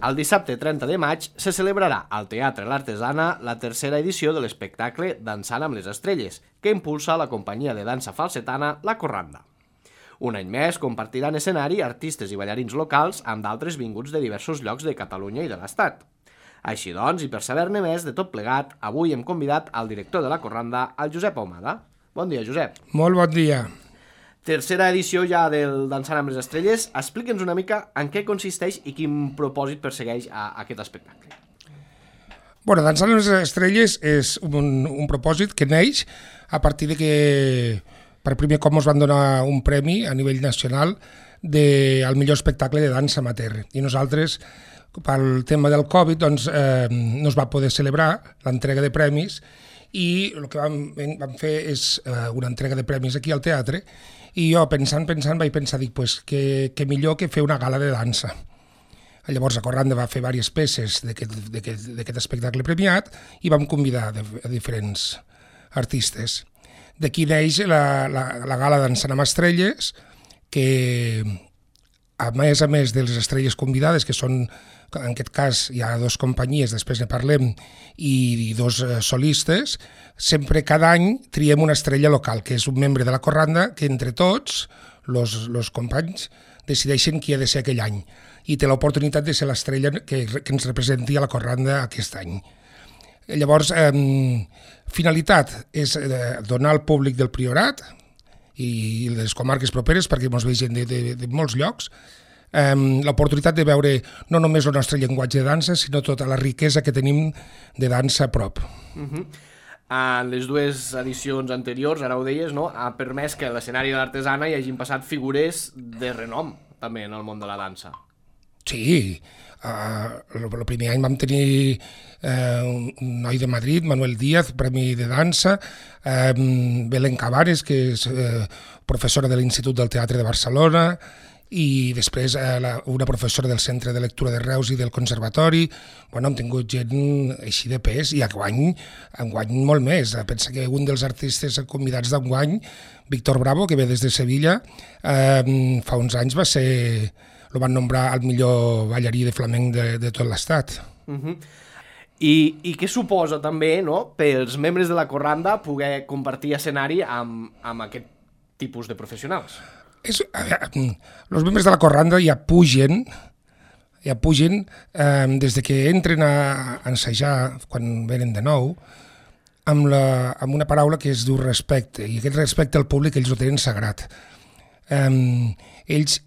El dissabte 30 de maig se celebrarà al Teatre L'Artesana la tercera edició de l'espectacle Dansant amb les estrelles, que impulsa la companyia de dansa falsetana La Corranda. Un any més compartiran escenari artistes i ballarins locals amb d'altres vinguts de diversos llocs de Catalunya i de l'Estat. Així doncs, i per saber-ne més de tot plegat, avui hem convidat al director de La Corranda, el Josep Ahumada. Bon dia, Josep. Molt bon dia. Tercera edició ja del Dansant amb les estrelles. Explica'ns una mica en què consisteix i quin propòsit persegueix aquest espectacle. Bueno, Dansant amb les estrelles és un propòsit que neix a partir de que per primer cop ens van donar un premi a nivell nacional al millor espectacle de dansa amateur. I nosaltres, pel tema del Covid, doncs, no es va poder celebrar l'entrega de premis i el que vam fer és una entrega de premis aquí al teatre i jo pensant vaig pensar, pues, que millor que fer una gala de dansa. Llavors la Corranda va fer diverses peces d'aquest espectacle premiat i vam convidar a diferents artistes. D'aquí neix la gala Dansant amb estrelles, que a més de les estrelles convidades, que són, en aquest cas hi ha 2 companyies, després ne parlem, i 2 solistes, sempre cada any triem una estrella local, que és un membre de la Corranda, que entre tots, els companys, decideixen qui ha de ser aquell any. I té l'oportunitat de ser l'estrella que ens representi a la Corranda aquest any. Llavors, finalitat és donar al públic del Priorat i les comarques properes, perquè ens vegin de molts llocs, l'oportunitat de veure no només el nostre llenguatge de dansa, sinó tota la riquesa que tenim de dansa a prop. En les 2 edicions anteriors, ara ho deies, no? Ha permès que a l'escenari de l'Artesana hi hagin passat figures de renom, també, en el món de la dansa. Sí, el primer any vam tenir un noi de Madrid, Manuel Díaz, premi de dansa, Belén Cabares, que és professora de l'Institut del Teatre de Barcelona, i després una professora del Centre de Lectura de Reus i del Conservatori. Bueno, hem tingut gent així de pes i enguany molt més. Pensa que un dels artistes convidats d'enguany, Víctor Bravo, que ve des de Sevilla, fa uns anys el van nombrar el millor ballarí de flamenc de tot l'estat. I què suposa també, no, pels membres de la Corranda poder compartir escenari amb aquest tipus de professionals? Els membres de la Corranda ja pugen des de que entren a ensejar, quan venen de nou, amb una paraula que es diu respecte, i aquest respecte al públic ells ho tenen sagrat. Ells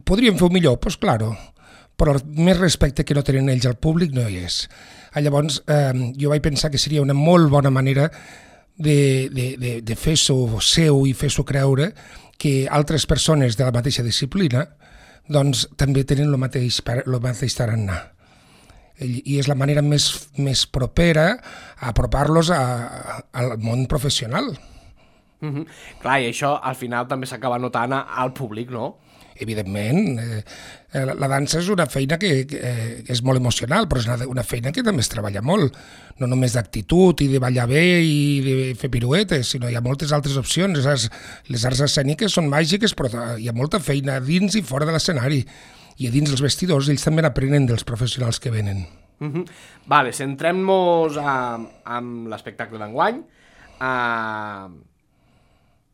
podrien fer-ho millor? Doncs claro, però el més respecte que no tenen ells al públic no hi és. Llavors jo vaig pensar que seria una molt bona manera de fer-s'ho seu i fer-s'ho creure que altres persones de la mateixa disciplina doncs també tenen el mateix tarannà. I és la manera més propera a apropar-los al món professional. Clar, i això al final també s'acaba notant al públic, no? Evidentment, la dansa és una feina que és molt emocional, però és una feina que també es treballa molt, no només d'actitud i de ballar bé i de fer piruetes, sinó hi ha moltes altres opcions. Les arts escèniques són màgiques, però hi ha molta feina dins i fora de l'escenari, i a dins els vestidors ells també aprenen dels professionals que venen. Vale, centrem-nos en l'espectacle d'enguany.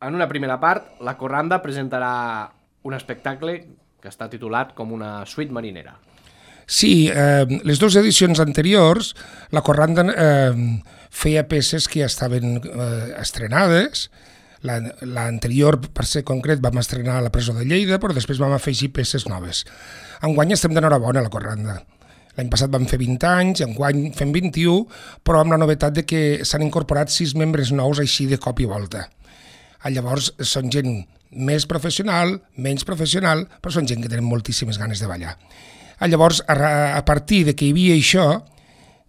En una primera part, la Corranda presentarà un espectacle que està titulat com una suite marinera. Sí, les 2 edicions anteriors la Corranda feia peces que ja estaven estrenades. L'anterior, per ser concret, vam estrenar a la presó de Lleida, però després vam afegir peces noves. Enguany estem d'enhorabona a la Corranda. L'any passat vam fer 20 anys, enguany fem 21, però amb la novetat de que s'han incorporat 6 membres nous així de cop i volta. Llavors són gent més professional, menys professional, però són gent que tenen moltíssimes ganes de ballar. Llavors, a partir de que hi havia això,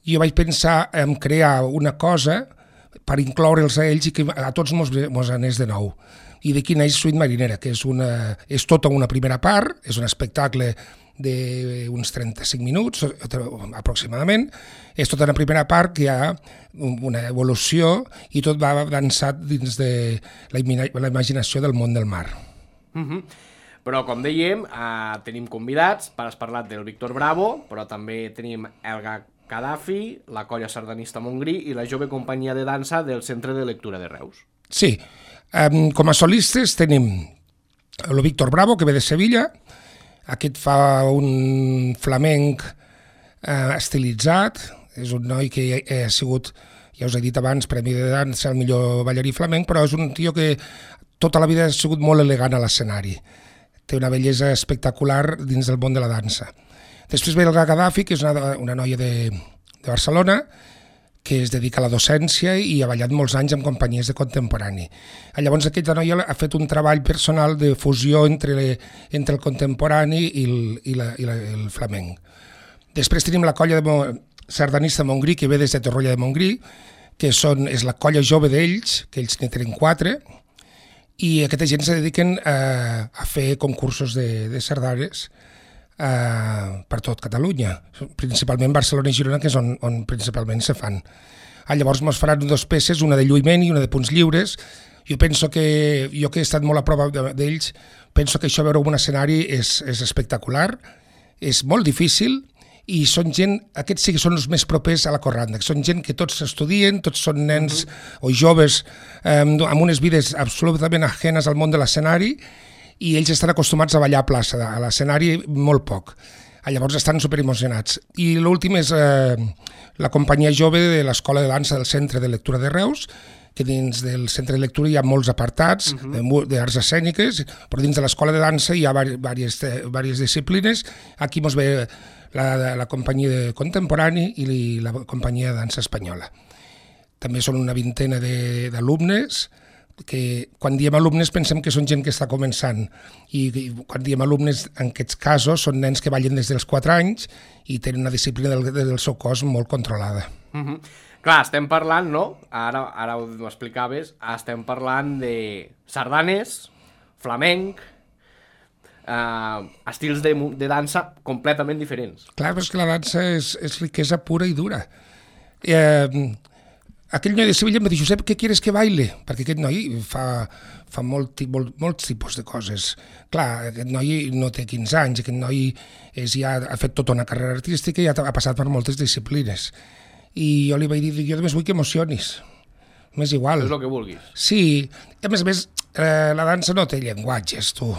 jo vaig pensar en crear una cosa per incloure'ls a ells i que a tots mos anés de nou. I d'aquí neix Suite Marinera, que és tota una primera part, és un espectacle d'uns 35 minuts aproximadament. És tota una primera part que hi ha una evolució i tot va dansat dins de la imaginació del món del mar. Però, com dèiem, tenim convidats, has parlat del Víctor Bravo, però també tenim Elga Gaddafi, la colla sardanista Montgrí i la jove companyia de dansa del Centre de Lectura de Reus. Sí, com a solistes tenim el Víctor Bravo, que ve de Sevilla. Aquest fa un flamenc estilitzat, és un noi que ha sigut, ja us he dit abans, premi de dansa, el millor ballarí flamenc, però és un tio que tota la vida ha sigut molt elegant a l'escenari. Té una bellesa espectacular dins del món de la dansa. Després ve el Gaddafi, que és una noia de Barcelona, que es dedica a la docència i ha ballat molts anys en companyies de contemporani. Llavors aquesta noia ha fet un treball personal de fusió entre el contemporani i el flamenc. Després tenim la colla sardanista Montgrí, que ve des de Torroella de Montgrí, que és la colla jove d'ells, que ells ne tenen 4, i aquesta gent se dediquen a fer concursos de sardanes per tot Catalunya, principalment Barcelona i Girona, que és on principalment se fan. Llavors ens faran 2 peces, una de lluïment i una de punts lliures. Jo penso que, jo que he estat molt a prova d'ells, penso que això veure un escenari és espectacular, és molt difícil, i són gent, aquests sí que són els més propers a la corranda, que són gent que tots estudien, tots són nens o joves amb unes vides absolutament ajenes al món de l'escenari, i ells estan acostumats a ballar a plaça, a l'escenari molt poc. Llavors estan superemocionats. I l'últim és la companyia jove de l'Escola de Dansa del Centre de Lectura de Reus, que dins del Centre de Lectura hi ha molts apartats d'arts escèniques, però dins de l'Escola de Dansa hi ha diverses disciplines. Aquí ens ve la companyia de contemporani i la companyia de dansa espanyola. També són una vintena d'alumnes, que quan diem alumnes pensem que són gent que està començant, i quan diem alumnes en aquests casos són nens que ballen des dels 4 anys i tenen una disciplina del seu cos molt controlada. Clar, estem parlant, no? Ara ho explicaves, estem parlant de sardanes, flamenc, estils de dansa completament diferents. Clar, però és que la dansa és riquesa pura i dura. Aquell noi de Sevilla em va dir: Josep, què quieres que baile? Perquè aquest noi fa molts tipus de coses. Clar, aquest noi no té 15 anys, aquest noi ja ha fet tota una carrera artística i ha passat per moltes disciplines. I jo li vaig dir: jo només vull que emocionis. M'és igual. És el que vulguis. Sí, a més, la dansa no té llenguatges, tu.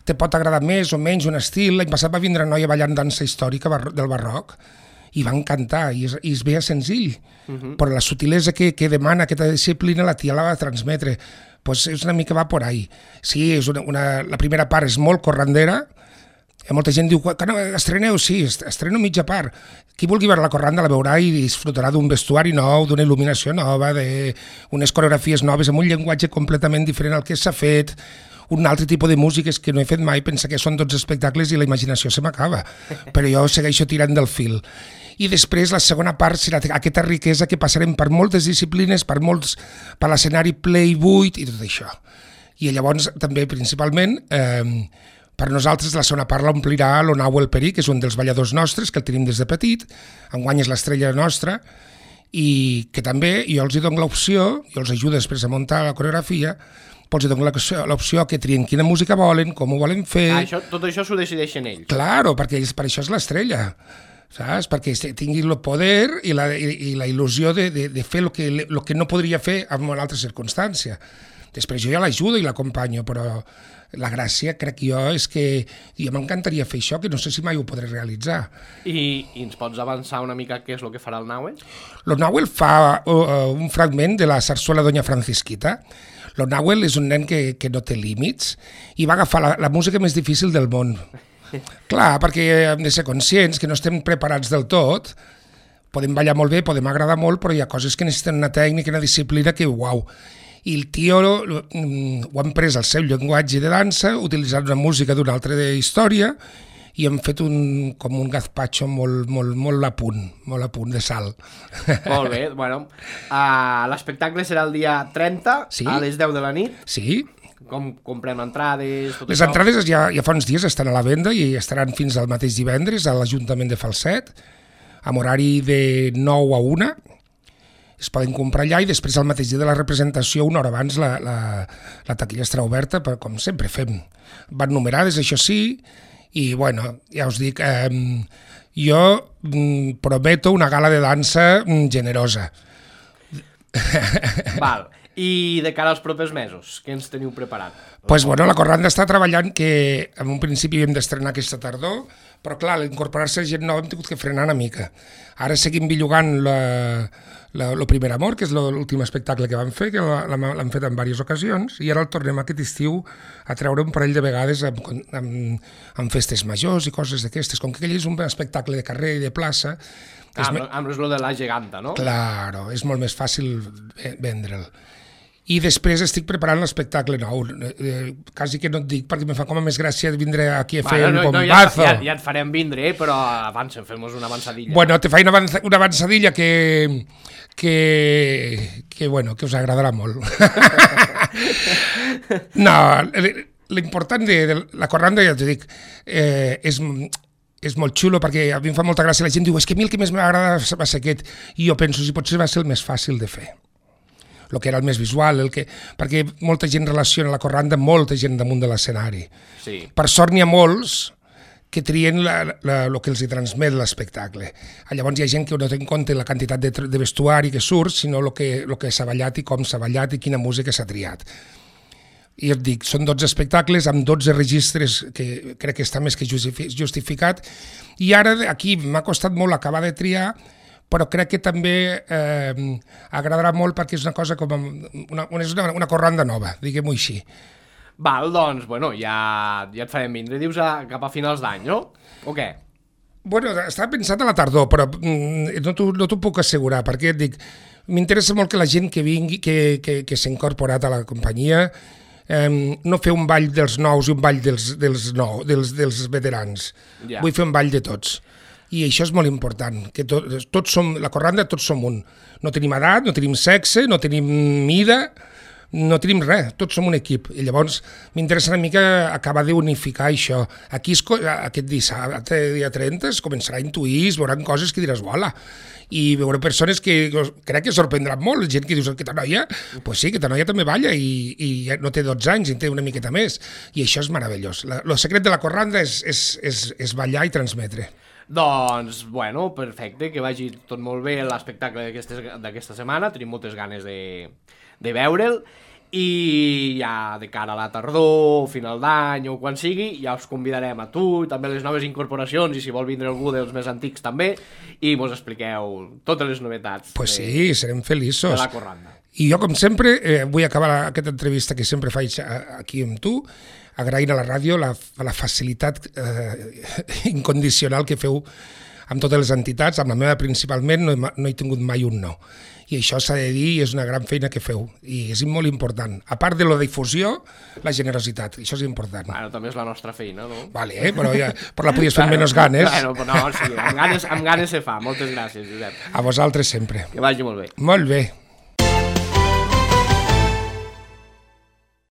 Te pot agradar més o menys un estil. L'any passat va vindre una noia ballant dansa històrica del barroc i va encantar, i es veia senzill, però la sutilesa que demana aquesta disciplina la tia la va transmetre. Pues és una mica va por ahí. Sí, la primera part és molt corrandera, molta gent diu que no, estreneu, sí, estreno mitja part. Qui vulgui veure la corranda la veurà i disfrutarà d'un vestuari nou, d'una il·luminació nova, d'unes coreografies noves, amb un llenguatge completament diferent al que s'ha fet, un altre tipus de músiques que no he fet mai. Pensa que són 12 espectacles i la imaginació se m'acaba, però jo segueixo tirant del fil. I després la segona part serà aquesta riquesa que passarem per moltes disciplines, per l'escenari ple i buit i tot això. I llavors també principalment per nosaltres la segona part l'omplirà l'Onau El Perí, que és un dels balladors nostres, que el tenim des de petit, enguany és l'estrella nostra, i que també jo els dono l'opció, jo els ajudo després a muntar la coreografia, però els dono l'opció que trien quina música volen, com ho volen fer. Tot això s'ho decideixen ells. Claro, perquè per això és l'estrella, saps? Perquè tingui el poder i la il·lusió de fer el que no podria fer en una altra circumstància. Després jo ja l'ajudo i l'acompanyo, però la gràcia, crec jo, és que jo m'encantaria fer això, que no sé si mai ho podré realitzar. I ens pots avançar una mica què és el que farà el Nahuel? El Nahuel fa un fragment de la sarsuela Doña Francisquita. El Nahuel és un nen que no té límits i va agafar la música més difícil del món. Clar, perquè hem de ser conscients que no estem preparats del tot. Podem ballar molt bé, podem agradar molt, però hi ha coses que necessiten una tècnica, una disciplina que, uau. I el tio ho han pres al seu llenguatge de dansa, utilitzant una música d'una altra història, i hem fet com un gazpacho molt a punt de sal. Molt bé, bueno. L'espectacle serà el dia 30, a les 10 de la nit. Sí. Com comprem entrades? Les entrades ja fa uns dies estan a la venda i estaran fins al mateix divendres a l'Ajuntament de Falset, amb horari de 9 a 1, es poden comprar allà i després al mateix dia de la representació, una hora abans, la taquilla estarà oberta, però com sempre fem. Van numerades, això sí, i bueno, ja us dic, jo prometo una gala de dansa generosa. Val. I de cara als propers mesos, què ens teniu preparat? Pues bueno, la Corranda està treballant, que en un principi hem d'estrenar aquesta tardor, però clar, l'incorporar-se gent nova hem tingut que frenar una mica. Ara seguim billugant Lo Primer Amor, que és l'últim espectacle que vam fer, que l'hem fet en diverses ocasions, i ara el tornem aquest estiu a treure un parell de vegades amb festes majors i coses d'aquestes. Com que aquell és un espectacle de carrer i de plaça... Amb lo de la geganta, no? Claro, és molt més fàcil vendre'l. I després estic preparant l'espectacle nou. Quasi que no et dic, perquè em fa com a més gràcia vindre aquí a fer el bombazo. Ja et farem vindre, però abans fem-nos una avançadilla. Bueno, te faig una avançadilla que us agradarà molt. No, l'important de la Corranda, ja t'ho dic, és molt xulo, perquè a mi em fa molta gràcia. La gent diu, és que a mi el que més m'agrada va ser aquest. I jo penso, si potser va ser el més fàcil de fer. El que era el més visual, perquè molta gent relaciona la Corranda amb molta gent damunt de l'escenari. Sí. Per sort n'hi ha molts que trien el que els hi transmet l'espectacle. Llavors hi ha gent que no té en compte la quantitat de vestuari que surt, sinó el que s'ha ballat i com s'ha ballat i quina música s'ha triat. I et dic, són 12 espectacles amb 12 registres que crec que està més que justificat, i ara aquí m'ha costat molt acabar de triar, però crec que també agradarà molt perquè és una cosa com una Corranda nova, diguem-ho així. Val, doncs, bueno, ja et farem vindre, dius, cap a finals d'any, no? O què? Bueno, estava pensat a la tardor, però no t'ho puc assegurar, perquè et dic, m'interessa molt que la gent que vingui, que s'ha incorporat a la companyia, no fer un ball dels nous i un ball dels veterans. Ja. Vull fer un ball de tots. I això és molt important, que tots som, la Corranda tots som un. No tenim edat, no tenim sexe, no tenim mida, no tenim res, tots som un equip. I llavors m'interessa una mica acabar d'unificar això. Aquí aquest dissabte, dia 30, es començarà a intuir, es veuran coses que diràs, uala, i veuré persones que crec que sorprendran molt, gent que dius, aquesta noia, pues sí, aquesta noia també balla i no té 12 anys, en té una miqueta més, i això és meravellós. El secret de la Corranda és ballar i transmetre. Doncs, bueno, perfecte, que vagi tot molt bé l'espectacle d'aquesta setmana, tenim moltes ganes de veure'l, i ja de cara a la tardor, final d'any o quan sigui, ja us convidarem a tu i també les noves incorporacions, i si vol vindre algú dels més antics també, i mos expliqueu totes les novetats. Pues sí, serem feliços. De la Corranda. I jo, com sempre, vull acabar aquesta entrevista que sempre faig aquí amb tu, agraint a la ràdio la facilitat incondicional que feu amb totes les entitats. Amb la meva principalment no he tingut mai un no. I això s'ha de dir, és una gran feina que feu. I és molt important. A part de la difusió, la generositat. Això és important. Bueno, també és la nostra feina, no? Vale, però la podies fer amb menys ganes. Bueno, no, sí, amb ganes se fa. Moltes gràcies, Josep. A vosaltres sempre. Que vagi molt bé. Molt bé.